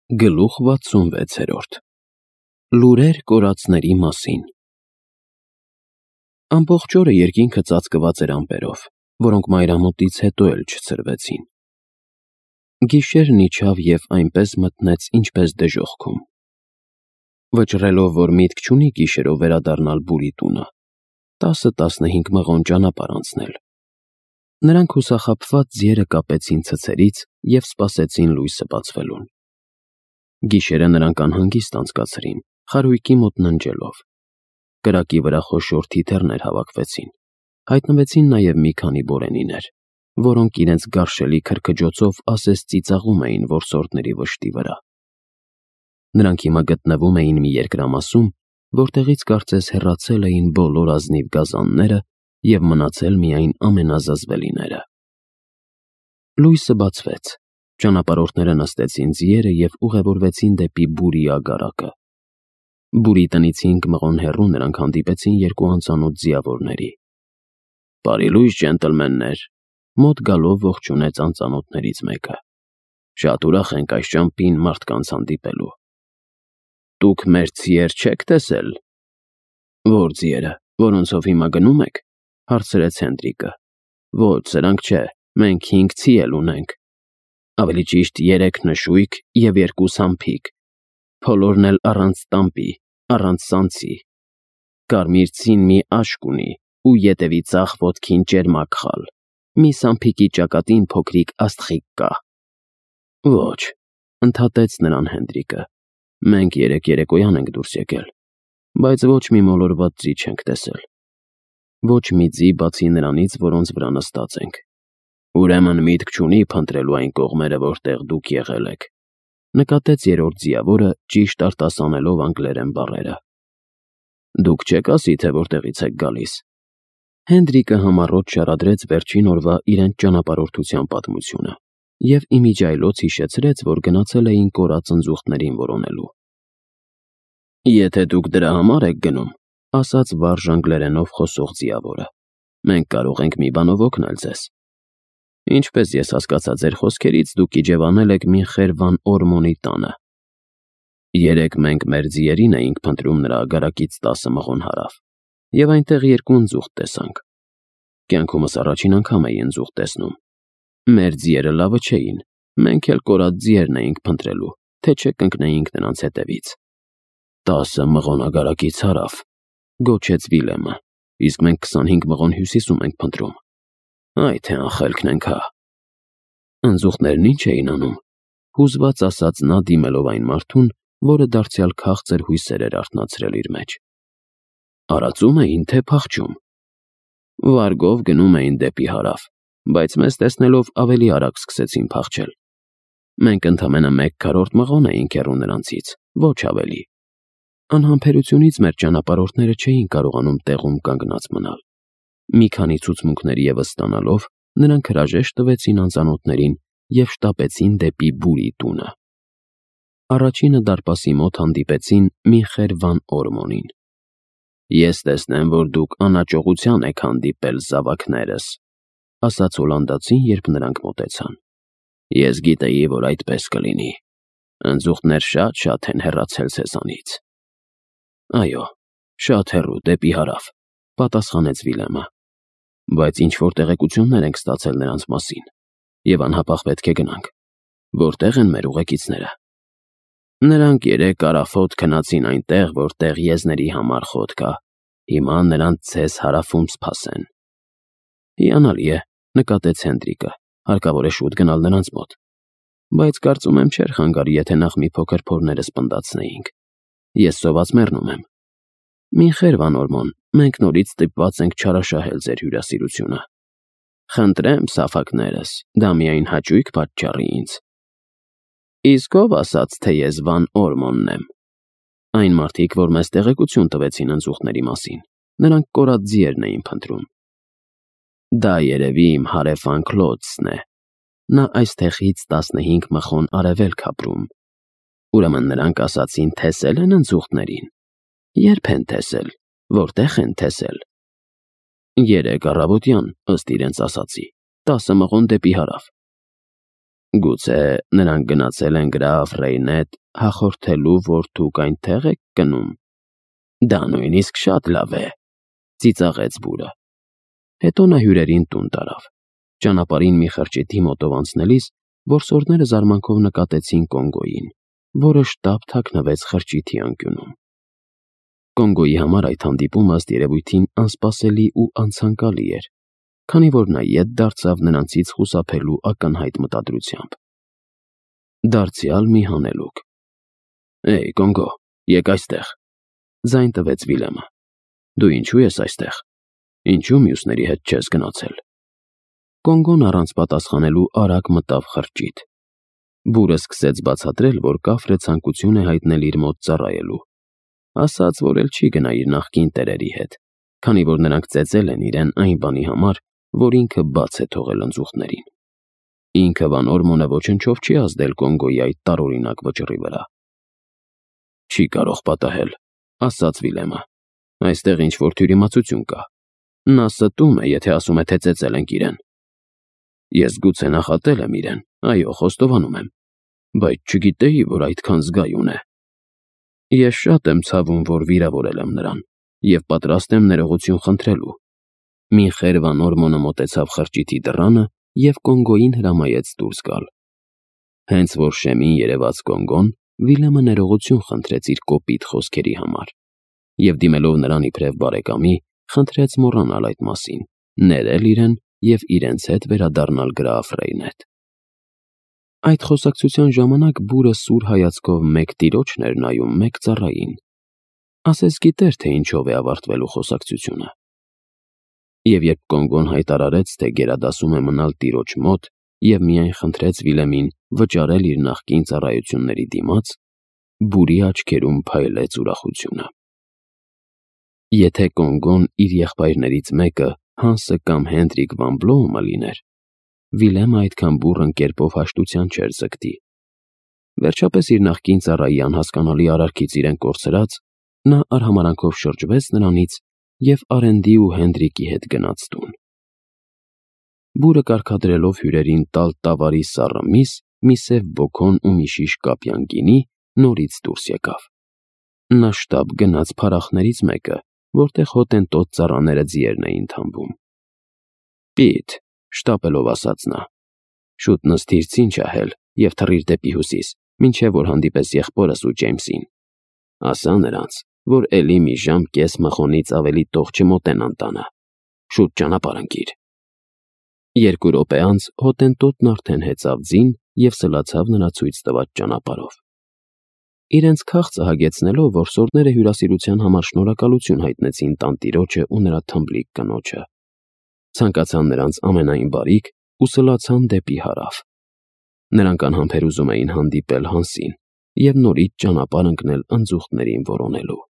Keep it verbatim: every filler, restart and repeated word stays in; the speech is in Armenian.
Գլուխ վաթսունվեցերորդ Լուրեր կորածների մասին Ամբողջ օրը երկինքը ծածկված էր ամպերով, որոնք մայրամուտից հետո էլ չցրվեցին։ Գիշերն իջավ և այնպես մթնեց, ինչպես դժոխքում։ Վճռելով, որ միտք չունի գիշերով վերադառնալ Բուրի տունը, տասը-տասնհինգ մղոն ճանապարհ անցնել, նրանք հուսախաբված ձիերը կապեցին ցցերից և սպասեցին լույսը բացվելուն։ Գիշերը նրանք անհանգիստ անցկացրին, խարույկի մոտ ննջելով։ Կրակի վրա խոշոր թիթեռներ հավաքվեցին, հայտնվեցին նաև մի քանի բորենիներ, որոնք իրենց գարշելի քրքջոցով ասես ծիծաղում էին որսորդների վշտի վրա։ Նրանք հիմա գտնվում էին մի երկրամասում, որտեղից կարծես հեռացել էին բոլոր ազնիվ գազանները և մնացել միայն ամենազզվելիները։ Լույսը բացվեց, ճանապարհորդները նստեցին ձիերը և ուղևորվեցին դեպի Բուրի ագարակը։ Բուրի տնից հինգ մղոն հեռու նրանք հանդիպեցին երկու անծանոթ ձիավորների։ «Բարի լույս, ջենտլմեններ», մոտ գալով ողջունեց անծանոթներից մեկը։ «Շատ ուրախ ենք այս ճամփին մարդկանց հանդիպելու»։ «Դուք մեր ձիեր չե՞ք տեսել»։ «Ո՞ր ձիերը, որոնցով հիմա գնում եք», հարցրեց Հենդրիկը։ «Ոչ, սրանք չէ, մենք հինգ ձի էլ ունենք, ավելի ճիշտ երեք նշույք և երկու սամփիկ, բոլորն էլ առանց տամբի, առանց սանձի։ Կարմիր ձին մի աշկ ունի ու ետևի ձախ ոտքին ճերմակ խալ, մի սամփիկի ճակատին փոքրիկ աստղիկ կա»։ «Ոչ», ընդհատեց նրան Հենդրիկը, «մենք երեկ երեկոյան ենք դուրս եկել, բայց ոչ մի մոլորված ձի չենք տեսել, ոչ մի ձի բացի նրանից, որոնց վրա նստած ենք»։ «Ուրեմն միտք չունի փնտրելու այն կողմերը, որտեղ դուք եղել եք», նկատեց երրորդ ձիավորը, ճիշտ արտասանելով անգլերեն բառերը։ «Դուք չեք ասի, թե որտեղից եք գալիս»։ Հենդրիկը համառոտ շարադրեց վերջին օրվա իրենց ճանապարհորդության պատմությունը և իմիջիայլոց հիշեցրեց, որ գնացել էին կորած ընձուղտներին որոնելու։ «Եթե դուք դրա համար եք գնում», ասաց վարժ անգլերենով խոսող ձիավորը, «մենք կարող ենք մի բանով օգնել ձեզ։ Ինչպես ես հասկացա ձեր խոսքերից, դուք իջևանել եք Մինխեր վան Օրմոնի տանը։ Երեկ մենք մեր ձիերին էինք փնտրում նրա ագարակից տասը մղոն հարավ, և այնտեղ երկու ընձուղտ տեսանք։ Կյանքումս առաջին անգամ էի ընձուղտ տեսնում։ Մեր ձիերը լավը չէին, մենք էլ կորած ձիերն էինք փնտրելու, թե չկընկնեինք նրանց հետևից»։ «Տասը մղոն ագարակից հարավ», գոչեց Վիլյամը, «իսկ մենք քսանհինգ մղոն հյուսիսում ենք փնտրում։ Այ թե անխելքն ենք հա»։ «Ընձուղտներն ի՞նչ էին անում», հուզված ասաց նա, դիմելով այն մարդուն, որը դարձյալ քաղցր հույսեր էր արթնացրել իր մեջ։ «Արածո՞ւմ էին, թե փախչում»։ «Վարգով գնում էին դեպի հարավ, բայց մեզ տեսնելով ավելի արագ սկսեցին փախչել։ Մենք ընդամենը մեկ քառորդ մղոն էինք հեռու նրանցից, ոչ ավելի»։ Անհամբերությունից մեր ճանապարհորդները չէին կարողանում տեղում կանգնած մնալ։ Մի քանի ցուցմունքներ ևս ստանալով, նրանք հրաժեշտ տվեցին անծանոթներին և շտապեցին դեպի Բուրի տունը։ Առաջինը դարպասի մոտ հանդիպեցին Մինխեր վան Օրմոնին։ «Ես տեսնեմ, որ դուք անհաջողության եք հանդիպել զավակներս», ասաց հոլանդացին, երբ նրանք մոտեցան։ «Ես գիտեի, որ այդպես կլինի։ Ընձուղտներ շատ-շատ են հեռացել ձեզանից»։ «Այո, շատ հեռու, դեպի հարավ», պատասխանեց Վիլյամը։ «Բայց ինչ-որ տեղեկություններ ենք ստացել նրանց մասին, և անհապաղ պետք է գնանք։ Որտե՞ղ են մեր ուղեկիցները»։ «Նրանք երեկ արաֆոտ քնացին այնտեղ, որտեղ եզների համար խոտ կա, հիմա նրանց ձեզ հարավում սպասեն»։ «Հիանալի է», նկատեց Հենդրիկը, «հարկավոր է շուտ գնալ նրանց մոտ։ Բայց կարծում եմ չէր խանգարի, եթե նախ մի փոքր փորներս պնդացնեինք։ Ես սոված մեռնում եմ։ Մինխեր վան Օրմոն, մենք նորից ստիպված ենք չարաշահել ձեր հյուրասիրությունը։ Խնդրեմ, սավագներս, դա միայն հաճույք պատճառի ինձ»։ «Իսկ ով ասաց, թե ես Վան Օրմոնն եմ»։ «Այն մարդիկ, որ մեզ տեղեկություն տվեցին ընձուղտների մասին, նրանք կորած ձիերն էին փնտրում»։ «Դա երևի իմ հարևան Քլոդսն է։ Նա այստեղից տասնհինգ մղոն արևելք ապրում։ Ուրեմն նրանք ասացին տեսել են ընձուղտներին։ Ե՞րբ են տեսել, որտե՞ղ են տեսել»։ «Երեկ առավոտյան, ըստ իրենց ասածի, տասը մղոն դեպի հարավ»։ Գուցե նրանք գնացել են գրաֆ Ռեյնետ հաղորդելու, որ դուք այնտեղ եք գնում։ Դա նույնիսկ շատ լավ է, ծիծաղեց Բուրը։ Հետո նա հյուրերին տուն տարավ։ Ճանապարհին մի խրճիթի մոտով անցնելիս որսորդները զարմանքով նկատեցին Կոնգոյին, որը շտապ թաքնվեց խրճիթի անկյունում։ Կոնգոյի համար այդ հանդիպումը ըստ երևույթին անսպասելի ու անցանկալի էր, քանի որ նա ետ դարձավ նրանցից խուսափելու ակնհայտ մտադրությամբ։ Դարձյալ մի հանելուկ։ «Էй, Կոնգո, եկ այստեղ», ձայն տվեց Վիլյամը։ «Դու ինչու ես այստեղ։ Ինչու մյուսների հետ չես գնացել»։ Կոնգոն առանց պատասխանելու արագ մտավ խրճիթ։ Բուրը սկսեց բացատրել, որ կաֆրը ցանկություն է հայտնել իր մոտ ծառայելու, ասաց, որ էլ չի գնա իր նախկին տերերի հետ, քանի որ նրանք ծեծել են իրեն այն բանի համար, որ ինքը բաց է թողել ընձուղտներին։ Ինքը Վան Օրմոնը ոչնչով չի ազդել Կոնգոյի այդ տարօրինակ վճռի վրա։ «Չի կարող պատահել», ասաց Վիլյամը։ «Այստեղ ինչ-որ թյուրիմացություն կա։ Նա ստում է, եթե ասում է, թե ծեծել ենք իրեն»։ «Ես գուցե նախատել եմ իրեն, այո, խոստովանում եմ, բայց չգիտեի, որ այդքան զգայուն է։ Ես շատ եմ ցավում, որ վիրավորել եմ նրան, և պատրաստ եմ ներողություն խնդրելու»։ Մի խեր Վան Օրմոնը մոտեցավ խրճիթի դռանը և Կոնգոյին հրամայեց դուրս գալ։ Հենց որ շեմին երևաց Կոնգոն, Վիլյամը ներողություն խնդրեց իր կոպիտ խոսքերի համար և, դիմելով նրան իբրև բարեկամի, խնդրեց մոռանալ այդ մասին, ներել իրեն և իրենց հետ վերադառնալ գրաֆ Ռեյնետ։ Այդ խոսակցության ժամանակ Բուրը սուր հայացքով մեկ տիրոջն էր նայում, մեկ ծառային։ Ասես գիտեր, թե ինչով է ավարտվելու խոսակցությունը։ Եվ երբ Կոնգոն հայտարարեց, թե գերադասում է մնալ տիրոջ մոտ և միայն խնդրեց Վիլյամին վճարել իր նախկին ծառայությունների դիմաց, Բուրի աչքերում փայլեց ուրախությունը։ Եթե Կոնգոն իր եղբայրներից մեկը Հանսը կամ Հենրիկ Վան Բլոումը լիներ, Վիլյամը այդքան բուռն կերպով հաշտության չէր ձգտի։ Վերջապես իր նախկին ծառայի անհասկանալի արարքից իրեն կորցրած, նա արհամարհանքով շրջվեց նրանից և Արենդի ու Հենրիկի հետ գնաց տուն։ Բուրը կարգադրելով հյուրերին տալ տավարի սառը միս, մի սև բոքոն ու մի շիշ կապյան գինի, նորից դուրս եկավ։ Նա շտապ գնաց փարախներից մեկը, որտեղ հոտենտոտ ծառաները ձիերն էին թամբում։ «Պիտ», շտապելով ասաց նա, «շուտ նստիր ցին ջահել և թռիր դեպի հյուսիս, մինչև որ հանդիպես եղբորս ու Ջեյմսին։ Ասա նրանց, որ էլի մի ժամ կես մխոնից ավելի տող չմոտենան տանը։ Շուտ ճանապարհ ընկիր»։ Երկու րոպե անց հոտենտոտն արդեն հեծավ ձին և սլացավ նրա ցույց տված ճանապարհով։ Իրենց քաղցը հագեցնելով որսորդները հյուրասիրության համար շնորհակալություն հայտնեցին տանտիրոջը ու նրա թմբլիկ կնոջը, ցանկացան նրանց ամենայն բարիք ու սլացան դեպի հարավ։ Նրանք անհամբեր ուզում էին հանդիպել Հանսին և նորից ճանապարհ ընկնել ընձուղտներին որոնելու։